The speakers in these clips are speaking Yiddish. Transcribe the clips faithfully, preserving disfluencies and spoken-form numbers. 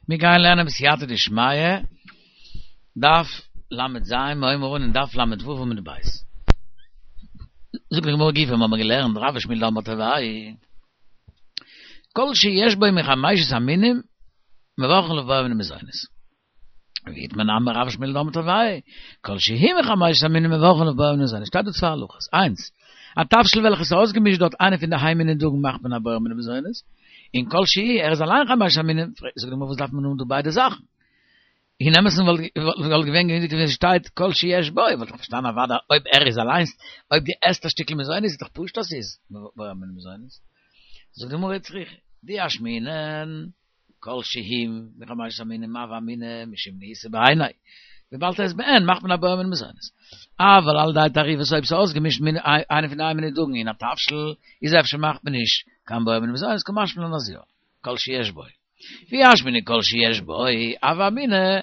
מיר גייען לערנען בסייעתא דשמיא, דף ל"ז, מיר הייבן אן אין דף ל"ו עמוד ב'. זאגט די גמרא גופא, מיר האבן געלערנט רב ושמואל דאמרי תרוייהו, כל שיש בו מחמשת המינים מברכין עליו בורא מיני מזונות. ואיתמר נמי רב ושמואל דאמרי תרוייהו, כל שהוא מחמשת המינים מברכין עליו בורא מיני מזונות. שטייט דא צוויי הלכות, איינס, א תבשיל וועלכע איז אויסגעמישט דארט איינע פון די ה' מיני דגן מאכט מען א בורא מיני מזונות, און כל שהוא ער איז אליין חמשת המינים, זאגט די גמרא וואס דארף מען האבן דא ביידע זאכן? אין אמת'ן וואלט געווען גענוג ווען ס'שטייט כל שיש בו, וואלט איך פארשטאנען אוודאי אויב ער איז אליינס, אויב דו עסט א שטיקל מזונות איז דאך פשוט אז ס'איז בורא מיני מזונות. זאגט די גמרא צריכא, דאי אשמעינן כל שהוא מחמשת המינים הוה אמינא משום נהיסא בעיניה, וויבאלד ער איז בעין מאכט מען א בורא מיני מזונות. אבל על ידי תערובת אויב ס'איז אויסגעמישט מיט איינע פון די ה' מיני דגן אין א תבשיל איז אפשר מאכט מען נישט קיין בורא מיני מזונות קא משמע לן אז יא, כל שיש בו. ואי אשמעינן כל שיש בו, הוה אמינא,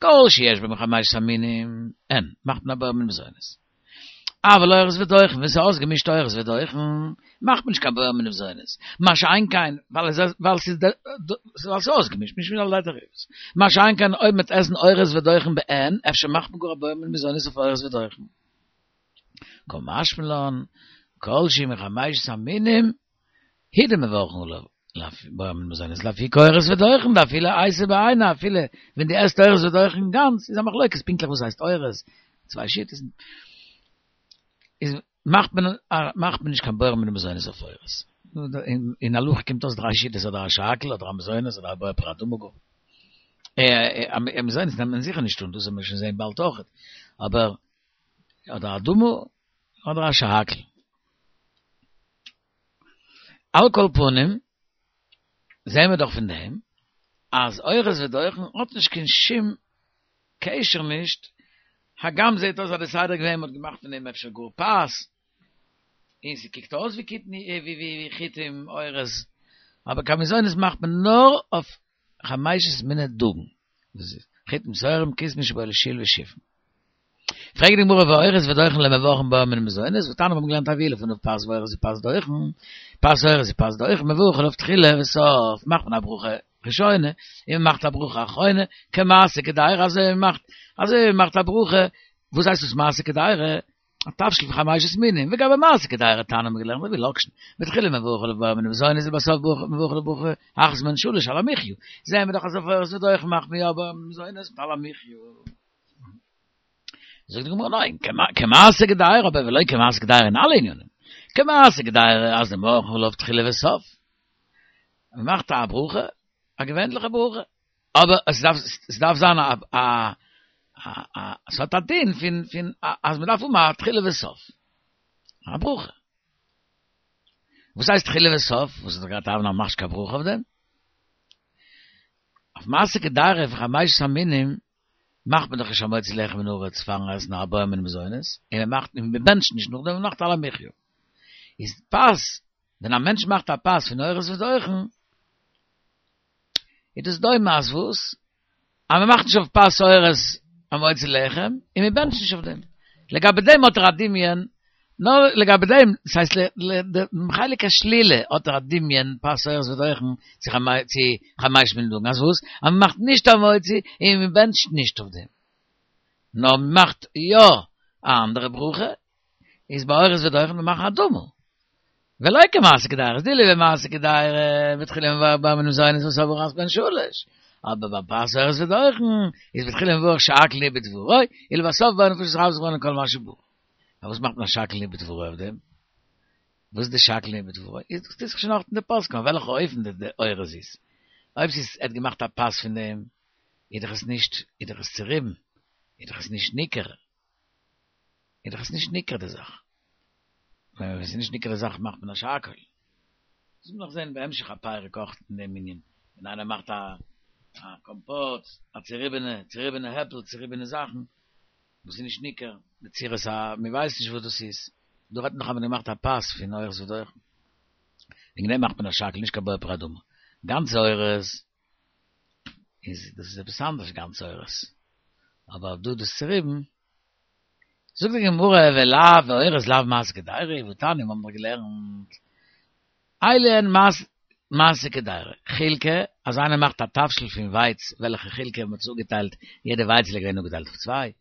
כל שיש בו מחמשת המינים, אין, מאכט מען א בורא מיני מזונות. אבל אורז ודוחן, ווען ס'איז אויסגעמישט אורז ודוחן, מאכט מען נישט קיין בורא מיני מזונות. מה שאין כן, ווייל ס'איז ווייל ס'איז אויסגעמישט, משום על ידי תערובת. מה שאין כן, אויב מ'וועט עסן אורז ודוחן בעין, אפשר מאכט מען גאר א בורא מיני מזונות אויף אורז ודוחן. קא משמע לן, כל שהוא מחמשת המינים, הוא דמברכין עליו בורא מיני מזונות לאפוקי אורז ודוחן דאפילו אייתו בעיניה אפילו ווען דו עסט אורז ודוחן גאנץ איז א מחלוקת פונקטליך וואס הייסט אורז צוויי שיטות איז מאכט מען מאכט מען נישט קיין בורא מיני מזונות אויף אורז אין הלכה קומט אויס דריי שיטות אדער א שהכל אדער א מזונות אדער א בורא פרי האדמה גאר א מזונות נעמט מען זיכער נישט אן דאס וועט מען שוין זעהן באלד אויכעט אבער אדער אדמה אדער א שהכל. על כל פנים, זעהן מיר דאך פון דעם אז אורז ודוחן האט נישט קיין שום קשר נישט, הגם זעהט אויס אז די סדר געווען מ'האט געמאכט פון דעם אפשר גאר פת, און ס'קוקט אויס ווי קטני ווי חיטים אורז, אבער קיין מזונות מאכט מען נאר אויף חמשת מיני דגן, דאס איז חיטים שעורים כסמין שיבולת שועל ושיפון. פרעגט די גמרא והאורז ודוחן לא מברכין בורא מיני מזונות, והתניא מיר האבן געלערנט הביאו לפניו פת ואורז ופת דוחן, פת אורז ופת דוחן, מברך עליו תחילה וסוף, מאכט מען א ברכה ראשונה, און מען מאכט א ברכה אחרונה, כמעשה קדירה, אזוי ווי מען מאכט, אזוי ווי מען מאכט א ברכה, וואס הייסט דאס מעשה קדירה? א תבשיל פון חמשת מינים, וגבי מעשה קדירה תניא האבן מיר געלערנט מביא לאקשן, בתחילה מברך עליו בורא מיני מזונות ובסוף מברך עליו ברכה אחת מהן שלש על המחיה, זעהן מיר דאך אז אויף אורז ודוחן מאכט מען יא בורא מיני מזונות מיט על המחיה. זאגט די גמרא ניין, כמעשה קדירה אבער ולא כמעשה קדירה אין אלע ענינים, כמעשה קדירה אז דמברכין עליו תחילה וסוף, מען מאכט א ברכה, א געווענליכע ברכה, אבער עס דארף עס דארף זיין א א א עס האט א דין פון פון אז מען דארף האבן א תחילה וסוף, א ברכה. וואס הייסט תחילה וסוף? וואס האט ער געהאט אוון א מאכסט קיין ברכה אויף דעם? אויף מעשה קדירה פון חמשת המינים מאכט מען דאך נישט המוציא לחם מן הארץ פארן עסן א בורא מיני מזונות, און מען מאכט און מען בענטשט נישט נאכדעם, מען מאכט על המחיה. איז פת, ווען א מענטש מאכט א פת פון אורז ודוחן, איז דאס דומה אז וואס? אז מען מאכט נישט אויף פת אורז המוציא לחם, און מען בענטשט נישט אויף דעם. לגבי דעם האט ער א דמיון, נאר לגבי דעם, דאס הייסט דעם חלק השלילה האט ער א דמיון פת אורז ודוחן צו חמשת מיני דגן, אז וואס? אז מען מאכט נישט המוציא און מען בענטשט נישט אויף דעם. נאר מען מאכט יא א אנדערע ברכה, איז ביי אורז ודוחן מען מאכן אדמה. ולא כמעשה קדירה, דאילו במעשה קדירה, בתחילה מברך בורא מיני מזונות ובסוף ברכה אחת מהן שלש. אבער ביי פת אורז ודוחן, איז בתחילה מברך שהכל נהיה בדברו, ולבסוף בורא נפשות חיות זכרונו כל מה שברא. פארוואס מאכט מען א שהכל נהיה בדברו אויף דעם? וואס איז די שהכל נהיה בדברו? איז דאס טוט זיך שוין אויך אין די פוסקים אויף וועלכע אופן די די אורז איז. אויב ס'איז ער האט געמאכט א פת פון דעם, איז דאך עס נישט, איז דאך עס צוריבן, איז דאך עס נישט ניכר. איז דאך עס נישט ניכר די זאך. ווען עס איז נישט ניכר די זאך מאכט מען א שהכל. דאס וועט מען נאך זען בהמשך הפרק אויך אין דעם ענין. ווען איינער מאכט א א קאמפאט, א צוריבענע, צוריבענע עפל, צוריבענע זאכן, וואס איז נישט ניכר, בצורת א, מען ווייסט נישט וואס דאס איז. דא רעדט מען דאך אז מען האט געמאכט א פת פון אורז ודוחן. וועגן דעם מאכט מען א שהכל, נישט קיין בורא פרי האדמה. גאנצע אורז איז דאס איז עפעס אנדערש גאנצע אורז. אבער דא דאס צוריבן. זאגט די גמרא ולאו ואורז לאו מעשה קדירה, והתניא מיר האבן דאך געלערנט, אלו הן מעשה קדירה, חילקא, אז איינער מאכט א תבשיל פון ווייץ, וועלכע חלק האט מען צוגעטיילט, יעדע ווייץ איז געווען אפגעטיילט אויף צוויי,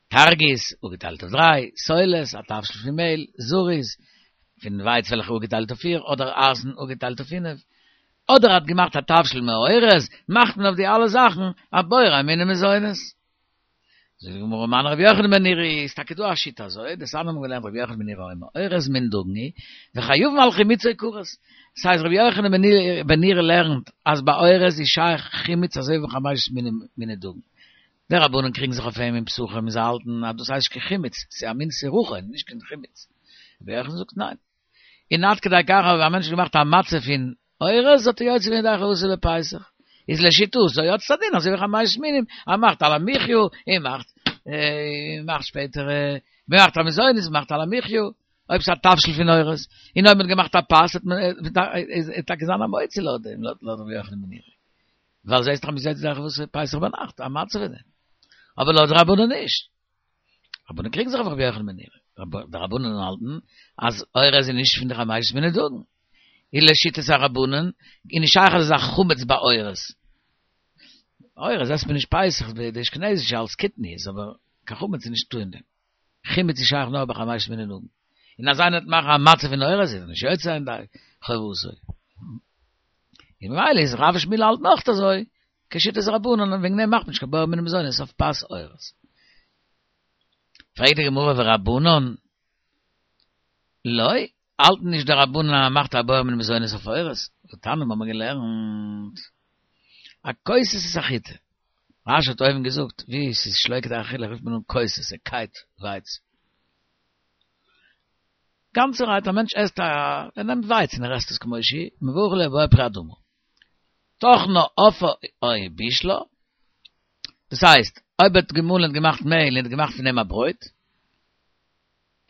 טרגית, אפגעטיילט אויף דריי, סולת, א תבשיל פון מעהל, זריז, פון ווייץ וועלכע אפגעטיילט אויף פיר, אדער אייזן אפגעטיילט אויף פינף. אדער האט געמאכט א תבשיל מאורז, מאכט מען אויף די אלע זאכן א בורא מיני מזונות. זאגט די גמרא מני רבי יוחנן בן נורי, איז טאקע דא א שיטה אזוי, דתניא האבן געלערנט רבי יוחנן בן נורי אומר, אורז מין דגן הוא, וחייבין על חימוצו כרת. דאס הייסט רבי יוחנן בן נורי לערנט אז ביי אורז איז שייך חימוץ אזוי ווי חמשת מיני דגן. די רבנן קריגן זיך אויף אים אין פסחים און זיי האלטן אז דאס הייסט נישט קיין חימוץ, ס'איז א מין סירחון, נישט קיין חימוץ. רבי יוחנן זאגט ניין. און עד כדי כך אויב א מענטש האט געמאכט א מצה פון אורז האט ער יוצא געווען ידי חובתו בפסח. איז לשיטתו האט עס א דין אזוי ווי חמשת מינים, ער מאכט על המחי' און מאכט און מאכט שפעטער מאכט א מזונות מאכט על המחי' אויב ס'איז א תבשיל פון אורז, און אויב מ'האט געמאכט א פת האט מען איז טאקע זיין א מוציא לויט דעם לויט רבי יוחנן בן נורי. ווייל זעהסט דאך מ'איז יוצא ידי חובתו פסח ביינאכט א מצה פון דעם. אבער לויט די רבנן נישט. רבנן קריגן זיך אויף רבי יוחנן בן נורי. די רבנן האלטן אז אורז איז נישט פון די חמשת מיני דגן. און לשיטת הרבנן איז נישט שייך אזא זאך חמץ ביי אורז. אורז עסט מען נישט פסח, די אשכנזישע אלס קטניות, אבער קיין חמץ איז נישטא אין דעם. חימוץ איז שייך נאר ביי חמשת מיני דגן. און אז איינער וועט מאכן א מצה פון אורז איז ער נישט יוצא ידי חובתו. און ממילא איז רב ושמואל האלטן אויך אזוי, כשיטת רבנן, און וועגן דעם מאכט מען נישט קיין בורא מיני מזונות אויף פת אורז. פרעגט די גמרא ורבנן לא, האלטן נישט די רבנן אז מ'מאכט א בורא מיני מזונות אויף אורז? והתניא האבן מיר געלערנט הכוסס את החיטה. רש"י האט אויבן געזאגט ווי ס'איז שלא כדי אכילה רופט מען אן כוסס, ער קייט ווייץ. גאנצערהייט א מענטש עסט א, ער נעמט ווייץ און ער עסט עס כמו שהיא, מברך עליה בורא פרי האדמה. טחנה אפאה או בישלה, דאס הייסט, אויב ער האט געמאלן און געמאכט מעהל און האט געמאכט פון דעם א ברויט,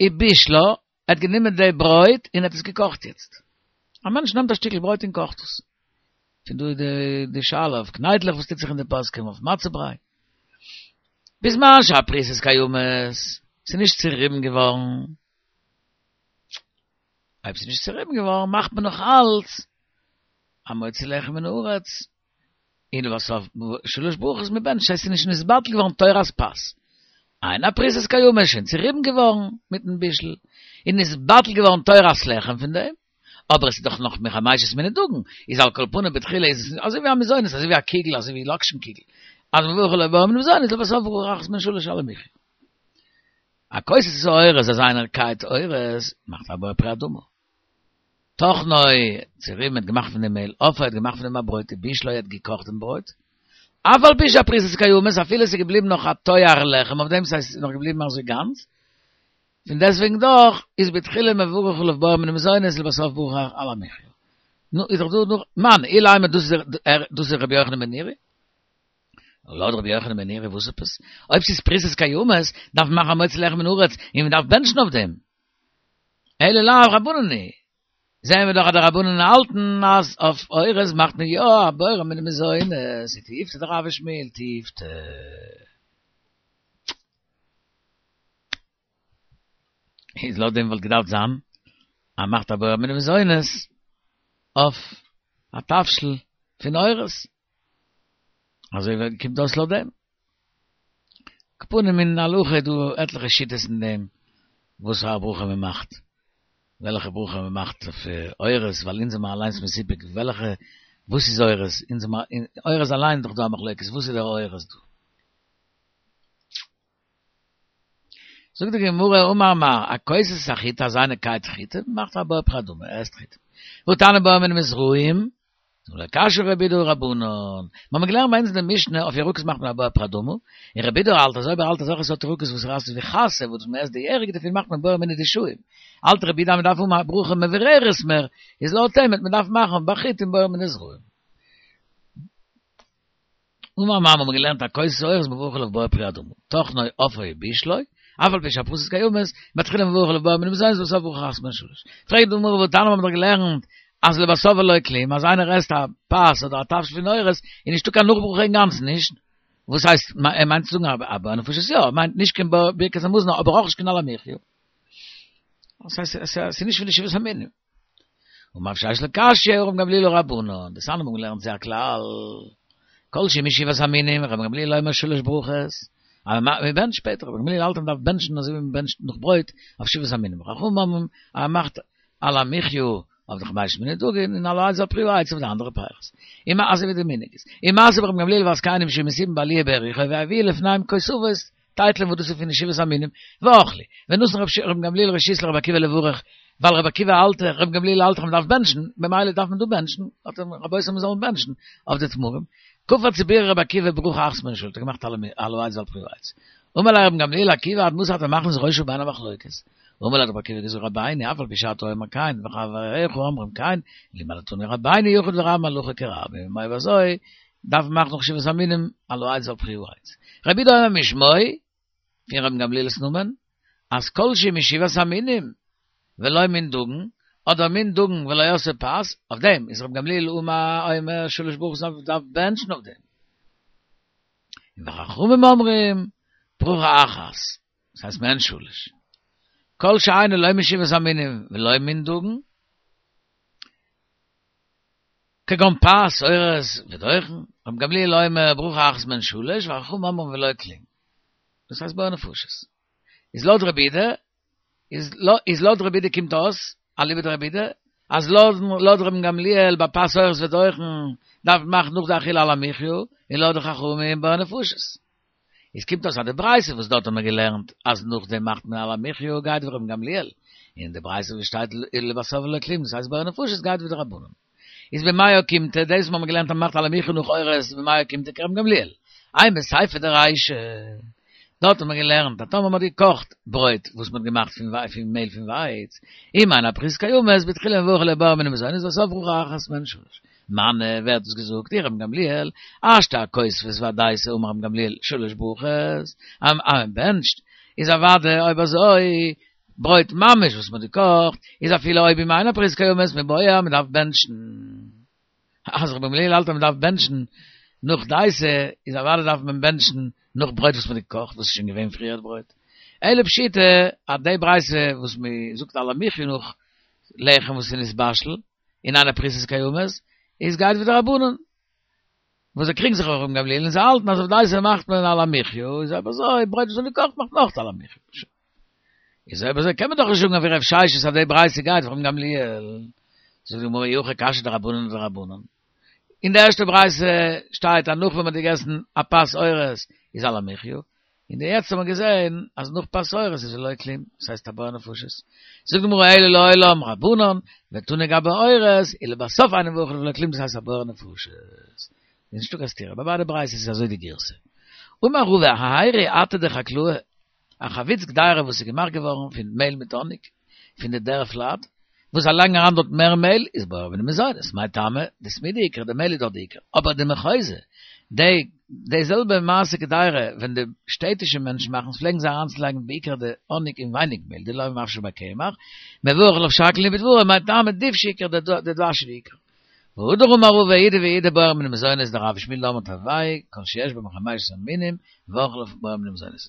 ובישלה, ער האט גענומען די ברויט און האט עס געקאכט יעצט. א מענטש נעמט א שטיקל ברויט און קאכט עס. פון דא איז די שאלה אויף קניידלעך וואס טוט זיך אין די פוסקים אויף מצה בריי. בזמן שהפרוסות קיימות, ס'איז נישט צוריבן געווארן. אויב ס'איז נישט צוריבן געווארן מאכט מען נאך אלץ המוציא לחם מן הארץ, און לבסוף שלש ברכות מען בענטשט ס'איז נישט נתבטל געווארן תורת פת. אין הפרוסות קיימות שוין צוריבן געווארן מיטן בישול, און נתבטל געווארן תורת לחם פון דעם, אבער עס איז דאך נאך מחמשת מיני דגן, איז על כל פנים בתחילה איז עס אזוי ווי א מזונות, אזוי ווי א קוגל, אזוי ווי לאקשן קוגל, אז מברך עליה בורא מיני מזונות לבסוף ברכה אחת מהן שלש על המחיה. הכוסס את האורז אז איינער קייט אורז מאכט א בורא פרי האדמה. טחנו צוריבן האט געמאכט פון דעם מעהל, אפאו האט געמאכט פון דעם א ברויט, ובישלו האט געקאכט דעם ברויט, אף על פי שהפרוסות קיימות אפילו עס איז געבליבן נאך א תואר לחם אויף דעם ס'הייסט עס איז נאך געבליבן אזוי גאנץ, פון דעסטוועגן דאך איז בתחילה מברך עליו בורא מיני מזונות ולבסוף ברכה על המחיה. נו איז דאך דא נאך מני אילימא דאס איז דאס איז רבי יוחנן בן נורי? לויט רבי יוחנן בן נורי וואס עפעס? אויב ס'איז פרוסות קיימות דארף מען מאכן המוציא לחם מן הארץ און מען דארף בענטשן אויף דעם. אלא לאו רבנן היא. זעען מיר דאך אז די רבנן האלטן אז אויף אורז מאכט מען יא א בורא מיני מזונות, ותיובתא דרב ושמואל תיובתא. איז לויט דעם וואלט געדארפט זיין אז מ'מאכט א בורא מיני מזונות אויף א תבשיל פון אורז. אזוי קומט אויס לויט דעם. על כל פנים אין הלכה איז דא עטליכע שיטות אין דעם וואס פאר א ברכה מען מאכט, וועלכע ברכה מען מאכט אויף אורז, ווייל אונז זעמער אליינס מסופק וועלכע, וואס איז אורז, אונז זעמער, אורז אליין איז דאך דא א מחלוקת, וואס איז דער אורז דא? זאגט די גמרא אמר מר, הכוסס את החיטה אז איינער קייט חיטה, מאכט א בורא פרי האדמה, ער עסט חיטה. והתניא בורא מיני מזרעים, לא קשיא רבי יהודה הא רבנן. מיר האבן געלערנט ביי אונז אין די משנה, אויף ירקות מאכט מען א בורא פרי האדמה, און רבי יהודה האלט אז אויב ער האלט אזעלכע סארט ירקות וואס רייסט ווי חסה וואס מען עסט די ירק דערפון מאכט מען בורא מיני דשאים. האלט רבי יהודה אז מען דארף האבן א ברכה מבוררת מער, איז לויט אים וועט מען דארפן מאכן ביי חיטים בורא מיני זרעים. אמר מר מיר האבן געלערנט הכוסס האורז מברך עליו בורא פרי האדמה, טחנו אפאו ובישלו, אף על פי שהפרוסות קיימות, בתחילה מברך עליו בורא מיני מזונות ולבסוף ברכה אחת מהן שלש. פרעגט די גמרא והתניא מיר האבן דאך געלערנט אז לבסוף ולא כלום, אז איינער עסט א פת אדער א תבשיל פון אורז, איז נישטא קיין נאכברכה אינגאנצן נישט, וואס הייסט ער מיינט צו זאגן א בורא נפשות יא, ער מיינט נישט קיין ברכת המזון אבער אויך נישט קיין על המחיה. דאס הייסט עס איז נישט פון די שבעת המינים. אמר רב ששת לא קשיא, הא רבן גמליאל הא רבנן. דתניא מ'האבן געלערנט ס'איז א כלל. כל שהוא משבעת המינים, רבן גמליאל אומר שלש ברכות. אבער מען בענטשט שפעטער, רבן גמליאל האלט אז מען דארף בענטשן אזוי ווי מען בענטשט נאך ברויט אויף שבעת המינים. וחכמים אומרים אז מען מאכט על המחיה אויף די חמשת מיני דגן און על העץ ועל פרי העץ אויף די אנדערע פירות. און אזוי ווי די מנהג איז. ומעשה ברבן גמליאל והזקנים שהיו מסובין בעלייה ביריחו והביאו לפניהם כותבות טייטלען וואס דאס איז פון די שבעת המינים ואכלו. ונתן רבן גמליאל רשות לרבי עקיבא לברך ווייל רבי עקיבא האלט רבן גמליאל האלט אז מען דארף בענטשן ממילא דארף מען דא בענטשן האט ער רבותי מיר זאלן בענטשן אויף די תמרים. קפץ ובירך רבי עקיבא ברכה אחת מעין שלש האט ער געמאכט על העץ ועל פרי העץ. אמר ליה רבן גמליאל לעקיבא עד מתי אתה מכניס ראשך בין המחלוקת. אמר ליה האט רבי עקיבא געזאגט רבינו אף על פי שאתה אומר כן וחבריך אומרים כן לימדתנו רבינו יחיד ורבים הלכה כרבים אויב אזוי דארף מען מאכן נאך שבעת המינים על העץ ועל פרי העץ. רבי יהודה אומר משמו פון רבן גמליאל'ס נאמען אז כל שהוא משבעת המינים ולא מין דגן אדער מין דגן ולא עשאו פת אויף דעם איז רבן גמליאל אומר שלש ברכות דארף בענטשן אויף דעם. און וחכמים אומרים ברכה אחת דאס הייסט מעין שלש. כל שאינו לא משבעת המינים ולא מין דגן, כגון פת, אורז, ודוחן, רבן גמליאל אומר ברכה אחת מעין שלש, וחכמים אומרים ולא כלום. דאס הייסט בורא נפשות. איז לויט רבי יהודה, איז לויט רבי יהודה קומט אויס, אליבא דרבי יהודה, אז לויט רבן גמליאל ביי פת אורז ודוחן דארף מען מאכן נאך די אכילה על המחיה, און לויט די חכמים בורא נפשות. איז קומט אויס אז די ברייתא וואס דארט האט מען געלערנט אז נאכדעם מאכט מען על המחיה גייט ווי רבן גמליאל, און די ברייתא וואס שטייט ולבסוף ולא כלום דאס הייסט בורא נפשות גייט ווי די רבנן. איז במאי אוקימתא דאס וואס מ'האט געלערנט אז מ'מאכט על המחיה נאך אורז במאי אוקימתא כרבן גמליאל. אימא סיפא דרישא דארט האט מען געלערנט אז טאמער מ'האט געקאכט ברויט וואס מ'האט געמאכט פון פון מעהל פון ווייץ, אם אין הפריסות קיימות בתחילה מברך עליה בורא מיני מזונות ולבסוף ברכה אחת מעין שלש. מני, ווער האט דאס געזאגט? אי רבן גמליאל, השתא הכותבות והדייסה אמר רבן גמליאל שלש ברכות, אז מען בענטשט, איז אוודאי אויב אזוי, ברויט ממש וואס מען האט געקאכט, איז אפילו אויב אם אין הפריסות קיימות מיבעיא מען דארף בענטשן. אז רבן גמליאל האלט אז מען דארף בענטשן נאך דייסה, איז אוודאי דארף מען בענטשן נאך ברויט וואס מען האט געקאכט, וואס איז שוין געווען פריער ברויט. אלא פשיטא אז די ברייתא וואס מען זאגט על המחיה נאך לחם וואס איז נתבשל, און אין הפריסות קיימות, איז גייט ווי די רבנן, וואס זיי קריגן זיך אויף רבן גמליאל און זיי האלטן אז אויף דייסה מאכט מען על המחיה, איז אויב אזוי ברויט וואס איז געקאכט מאכט מען אויך על המחיה. איז אויב אזוי קען מען דאך נישט זאגן אויף רב ששת אז די ברייתא גייט ווי רבן גמליאל. זאגט די גמרא אי הכי קשיא דרבנן אדרבנן. אין די ערשטע ברייתא שטייט אז נאך ווען מען האט געגעסן א פת אורז איז על המחיה, און די יעצט האט מען געזען אז נאך פת אורז איז ולא כלום, דאס הייסט א בורא נפשות. זאגט די גמרא אלא לעולם רבנן, ותנא גבי אורז, ולבסוף אינו מברך ולא כלום דאס הייסט א בורא נפשות. איז נישטא קיין סתירה, ביי ביידע ברייתות איז אזוי די גירסא. אמר רבא ההיירי אטא דחקלאי, א חביץ קדירה וואס איז געמאכט געווארן פון מעהל מיט האניג, פון די דערפלייט, וואס זיי לייגן אריין דארט מער מעהל, איז בורא מיני מזונות, מאי טעמא, דסמידא עיקרא, די מעהל איז דאך די עיקר, אבער דמחוזא, די די זעלבע מעשה קדירה, ווען די שטעטישע מענטשן מאכן עס, פלעגן זיי אריינצולייגן בעיקר די האניג און ווייניג מעהל, דלא מפשי ביה קמח, מברך עליו שהכל נהיה בדברו, מאי טעמא דובשא עיקרא, די דבש איז די עיקר. והדר אמר רבא אידי ואידי בורא מיני מזונות דרב ושמואל דאמרי תרוייהו כל שיש בו מחמשת המינים מברכין עליו בורא מיני מזונות.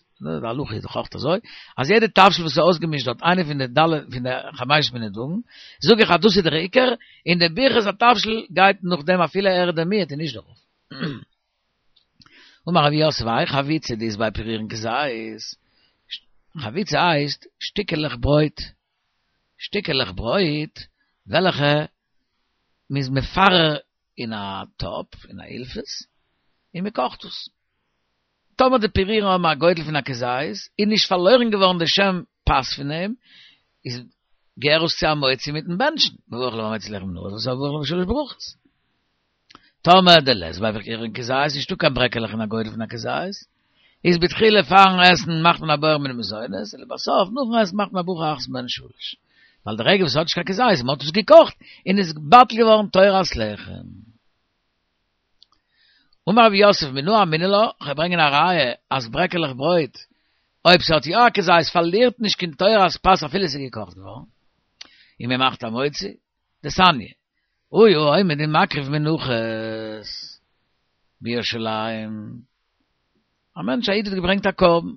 די הלכה איז דאך אויך אזוי אז יעדע תבשיל וואס איז אויסגעמישט דארט איינע פון די ד' פון די חמשת מיני דגן זאג איך אז דאס איז דער עיקר און די ברכת התבשיל גייט נאכדעם אפילו ער איז דער מיעוט און נישט דער רוב. אמר רב יוסף האי חביצא דאית ביה פירורין כזית חביצא הייסט שטיקעלעך ברויט שטיקעלעך ברויט וועלכע מ'איז מפרר אין א טאפ, אין א אילפס, און מ'קאכט עס. טאמער די פירורים האבן א גודל פון א כזית, איז נישט פארלוירן געווארן די שם פת פון דעם, איז געהער עס צו המוציא מיטן בענטשן, מברך עליו המוציא לחם מן הארץ ולבסוף מברך עליו שלש ברכות. טאמער דלית ביה פירורין כזית, נישטא קיין ברעקעלעך אין א גודל פון א כזית, איז בתחילה פארן עסן מאכט מען א בורא מיני מזונות, און לבסוף נאכן עסן מאכט מען א ברכה אחת מעין שלש. ווייל די רגע וואס ס'האט נישט קיין כזית, מ'האט עס געקאכט, און איז בטל געווארן תורת לחם. אמר רב יוסף מנא אמינא לה, כ'וועל ברענגען א ראיה אז ברעקעלעך ברויט, אויב ס'האט יא א כזית פארלירט נישט קיין תורת פת אפילו ס'איז געקאכט געווארן, און מ'מאכט המוציא, דתניא, היה עומד ומקריב מנחות בירושלים, א מענטש א איד האט געברענגט א קרבן,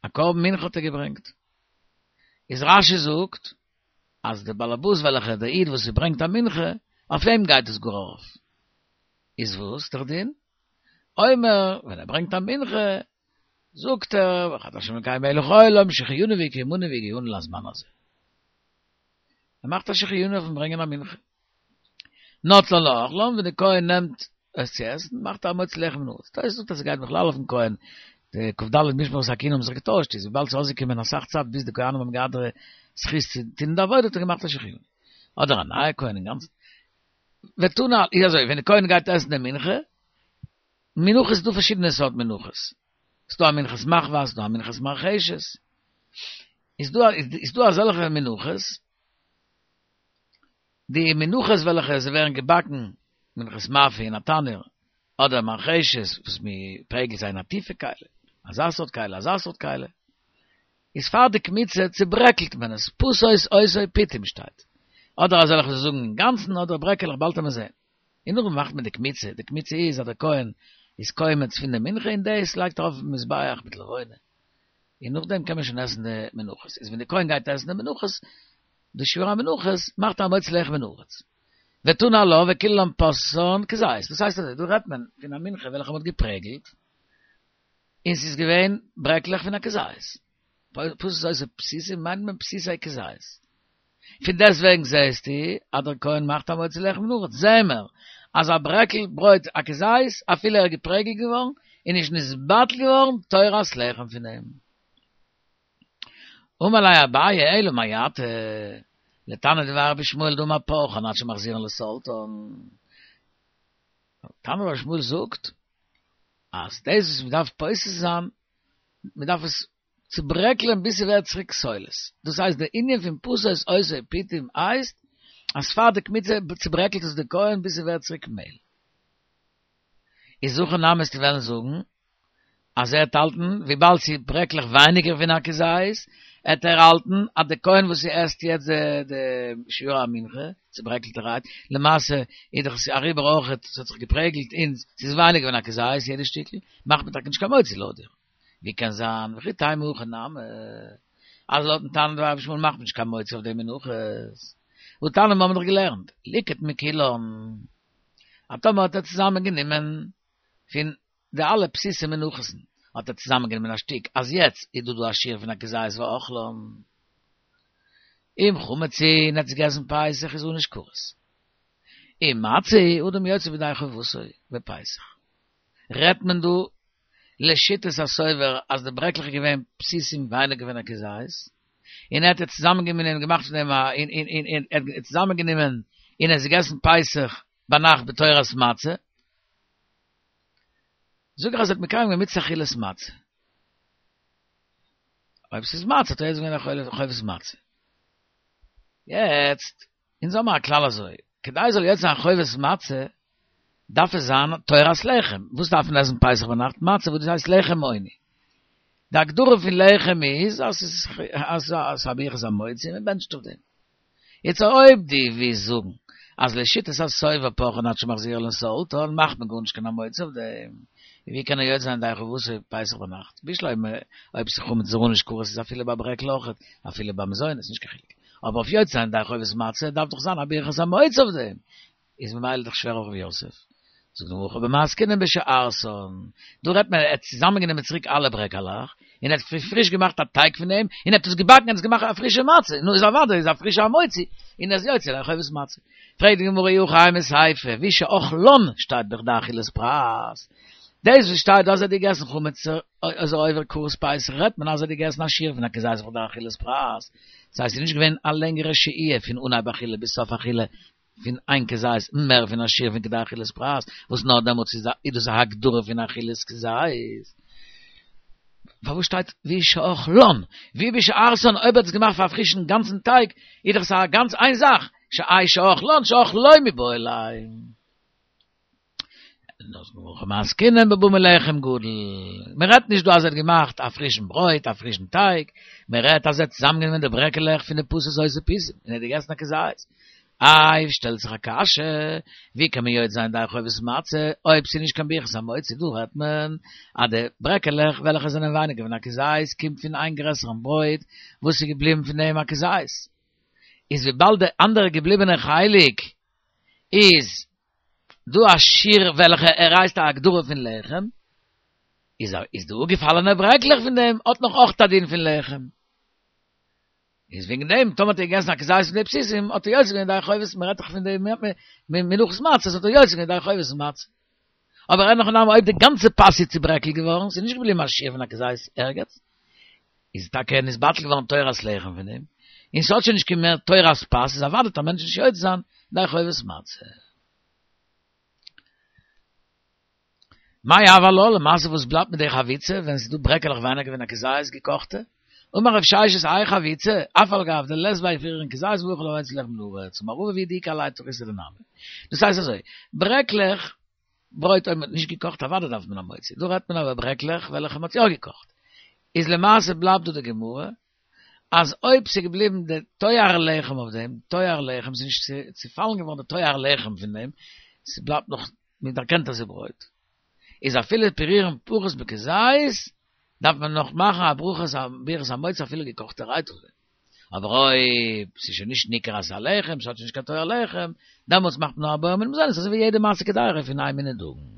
א קרבן מנחה האט ער געברענגט, איז רש"י זאגט אז דער באלעבאס וועלכער דער איד וואס ברענגט א מנחה, אויף אים גייט עס גאר ארויף. איז וואס דער דין? אומר, ווען ער ברענגט א מנחה, זאגט ער, ברוך אתה השם אלוקינו מלך העולם, שהחיינו וקיימנו והגיענו לזמן הזה. ער מאכט א שהחיינו אויפן ברענגען א מנחה. נוטלן לאוכלן, ווען דער כהן נעמט עס צו עסן, מאכט ער המוציא לחם מן הארץ. תוס' זאגט אז עס גייט בכלל אויפן כהן. די כ"ד משמרות הכהונה האבן זיך געטוישט, איז וויבאלד ס'איז אויסגעקומען אסאך צייט ביז די כהנים האבן געהאט די זכות צו טון די עבודה, האט ער געמאכט א שהחיינו. אדער א נייע כהן אינגאנצן. ותנא, איז אזוי, ווען די כהן גייט עסן די מנחה, מנחות איז דא פארשידענע סארט מנחות. ס'איז דא א מנחת מחבת, ס'איז דא א מנחת מרחשת. איז דא איז דא אזעלכע מנחות, די מנחות וועלכע זיי ווערן געבאקן, מנחת מאפה אין א תנור, אדער מרחשת וואס מ'פרעגלט זיי אין א טיפע כלי, אזא סארט כלי, אזא סארט כלי, איז פאר די קמיצה צוברעקלט מען עס, פתות אותו פתים שטייט. אדער אזעלכע וואס זאגן אינגאנצן, אדער ברעקעלעך, באלד וועט מען זען. און נאכדעם מאכט מען די קמיצה, די קמיצה איז אז דער כהן איז קומץ פון די מנחה און דאס לייגט ער אויפן מזבח מיט לבונה, און נאכדעם קען מען שוין עסן די מנחות, איז ווען די כהן גייט עסן די מנחות, די שיעור המנחות, מאכט ער המוציא לחם מן הארץ. ותנא עלה וכולן פשתן כזית, דאס הייסט אזוי, דא רעדט מען פון א מנחה וועלכע מען האט געפרעגלט, און ס'איז געווען ברעקלעך פון א כזית. פתות אותו פתיתים מיינט מען פתיתי כזית. פון דעסטוועגן זעהסטו אז דער כהן מאכט המוציא לחם מן הארץ, זעהן מיר אז א ברעקל ברויט א כזית אפילו ער איז געפרעגלט געווארן איז נישט נתבטל געווארן תורת לחם פון אים. אמר ליה אביי אלא מעתה לתנא דבי רבי ישמעאל דאמר פרכן עד שמחזירן לסולתן. תנא רבי ישמעאל זאגט אז דאס וואס מ'דארף פותר זיין, מ'דארף עס צוברעקלען ביז ס'ווערט צוריק סולת. דאס הייסט די ענין פון פתות אותו פתים הייסט אז פאר די קמיצה צוברעקלט עס די כהן ביז ס'ווערט צוריק מעהל. איז הכי נמי וועסטו וועלן זאגן אז ער העט האלטן וויבאלד ס'איז ברעקלעך ווייניגער פון א כזית, העט ער האלטן אז די כהן וואס ס'עסט יעצט די די שיעור המנחה, צוברעקלטערהייט, למעשה איז דאך עס אריבער אויכעט, ס'האט זיך געפרעגלט און ס'איז ווייניגער פון א כזית יעדע שטיקל, מאכט מען טאקע נישט קיין מוציא לויט דיר. ווי קען זיין, וכי תימא הכי נמי, אז לויטן תנא דבי רבי ישמעאל מאכט מען נישט קיין מוציא אויף די מנחות. והתניא מיר האבן דאך געלערנט, ליקט מכולן. אז טאמער האט ער צוזאמען גענומען פון די אלע פתיתי מנחות'ן, האט ער צוזאמען גענומען א שטיק, אז יעצט איז דא דא א שיעור פון א כזית ואכלן. אם חמץ הוא, און ער האט עס געגעסן פסח איז ענוש כרת. אם מצה הוא, אדם יוצא ידי חובתו בפסח. רעדט מען דא לשיטת הסובר אז די ברעקלעך איז געווען פתיתים ווייניגער פון א כזית, און ער האט עס צוזאמענגענומען און געמאכט פון דעם א און און און און ער האט צוזאמענגענומען און עס געגעסן פסח ביינאכט בתורת מצה, זאג איך אז ער האט מקיים געווען מצות אכילת מצה. אויב ס'איז מצה האט ער יוצא געווען חובת מצה. יעצט, אונז האמער א כלל אזוי, כדי זאל יוצא זיין חובת מצה, דארף עס זיין תורת לחם. וואס דארף מען עסן פסח ביינאכט? מצה וואס דאס הייסט לחם עוני. די הגדרה פון לחם איז אז ס'איז אז ס'איז א ברכת המוציא און מ'בענטשט אויף דעם. יעצט אויב דו ווילסט זאגן אז לשיטת הסובר פרכין עד שמחזירן לסולתן מאכט מען גארנישט קיין המוציא אויף דעם, ווי קען ער יוצא זיין ידי חובתו פסח ביינאכט? בשלמא אויב ס'איז חמץ איז ענוש כרת איז אפילו ביי ברעקל אויכעט, אפילו ביי מזונות נישט קיין חילוק. אבער אויף יוצא זיין ידי חובת מצה דארף דאך זיין א ברכת המוציא אויף דעם. איז ממילא דאך שווער אויף רב יוסף. זאגט די גמרא הכא במאי עסקינן בשארסן, דא רעדט מען ער האט צוזאמענגענומען צוריק אלע ברעקעלעך, און ער האט פריש געמאכט א טייג פון דעם, און ער האט עס געבאקן און עס געמאכט א פרישע מצה, נו איז אוודאי איז א פרישע המוציא, און ער איז יוצא ידי חובת מצה. פרעגט די גמרא אי הכי אימא סיפא, והוא שאכלן שטייט בכדי אכילת פרס, דאס וואס שטייט דא אז ער האט געגעסן חמץ איז ער עובר כרת פסח רעדט מען אז ער האט געגעסן א שיעור פון א כזית בכדי אכילת פרס, דאס הייסט ס'איז נישט געווען א לענגערע שהייה פון אנהייב אכילה ביז סוף אכילה, פון איין כזית מער פון א שיעור פון כדי אכילת פרס, וואס נאר דעמאלטס איז איז דאס א הגדרה פון אכילת כזית. פארוואס שטייט והוא שאכלן? והוא בשארסן אויב ער האט עס געמאכט פאר א פרישן גאנצן טייג, איז דאך עס א גאנץ איין זאך, שהאי שאכלן שאכלו מיבעי ליה. הכא במאי עסקינן בבא מלחם גדול. מען רעדט נישט דא אז ער האט געמאכט א פרישן ברויט, א פרישן טייג, מען רעדט אז ער האט צוזאמגענומען די ברעקעלעך פון די פתות אותו פתים און ער האט געגעסן א כזית. איי, שטעלט זיך א קשיא, ווי קען מען יוצא זיין ידי חובת מצה אויב ס'איז נישט קיין ברכת המוציא? דא רעדט מען אז די ברעקעלעך וועלכע זענען ווייניגער פון א כזית קומט פון איין גרעסערן ברויט וואס איז געבליבן פון דעם א כזית. איז וויבאלד די אנדערע געבליבענע חלק איז דא א שיעור וועלכע ער הייסט א הגדרה פון לחם, איז איז די אפגעפאלענע ברעקלעך פון דעם האט נאך אויך א דין פון לחם. איז וועגן דעם טאמער האט ער געגעסן א כזית פון די פתיתים האט ער יוצא געווען ידי חובת מען רעדט דאך פון די מנחות מצות האט ער יוצא געווען ידי חובת מצה. אבער אין הכי נמי אויב די גאנצע פת איז צוברעקלט געווארן, ס'איז נישט געבליבן א שיעור פון א כזית ערגעץ, איז טאקע נתבטל געווארן תורת לחם פון דעם, און ס'האט שוין נישט קיין מער תורת פת, איז אוודאי וועט א מענטש נישט יוצא זיין ידי חובת מצה. מאי הוי עלה, למעשה וואס בלייבט מיט די חביצה ווען ס'איז דא ברעקעלעך ווייניגער פון א כזית געקאכטע? אמר רב ששת האי חביצה, אף על גב דלית ביה פירורין כזית מברך עליה המוציא לחם מן הארץ, אמר רבא והוא דאיכא עליה תריסר דנמי. דאס הייסט אזוי, ברעקלעך ברויט אויב מ'האט נישט געקאכט אוודאי דארף מען א מוציא, דא רעדט מען אבער ברעקלעך וועלכע מ'האט יא געקאכט, איז למעשה בלייבט דא די גמרא אז אויב ס'איז געבליבן די תואר לחם אויף דעם, תואר לחם, ס'איז נישט צופאלן געווארן די תואר לחם פון דעם, ס'בלייבט נאך, מ'דערקענט אז ס'איז ברויט, איז אפילו פירורין פחות מכזית, דארף מען נאך מאכן א ברכת ברכת המוציא אפילו געקאכטערהייט אויף דעם. אבער אויב ס'איז שוין נישט ניכר אז ס'איז א לחם, ס'האט שוין נישט קיין תואר לחם, דעמאלטס מאכט מען נאר א בורא מיני מזונות, אזוי ווי יעדע מעשה קדירה פון איי מיני דגן.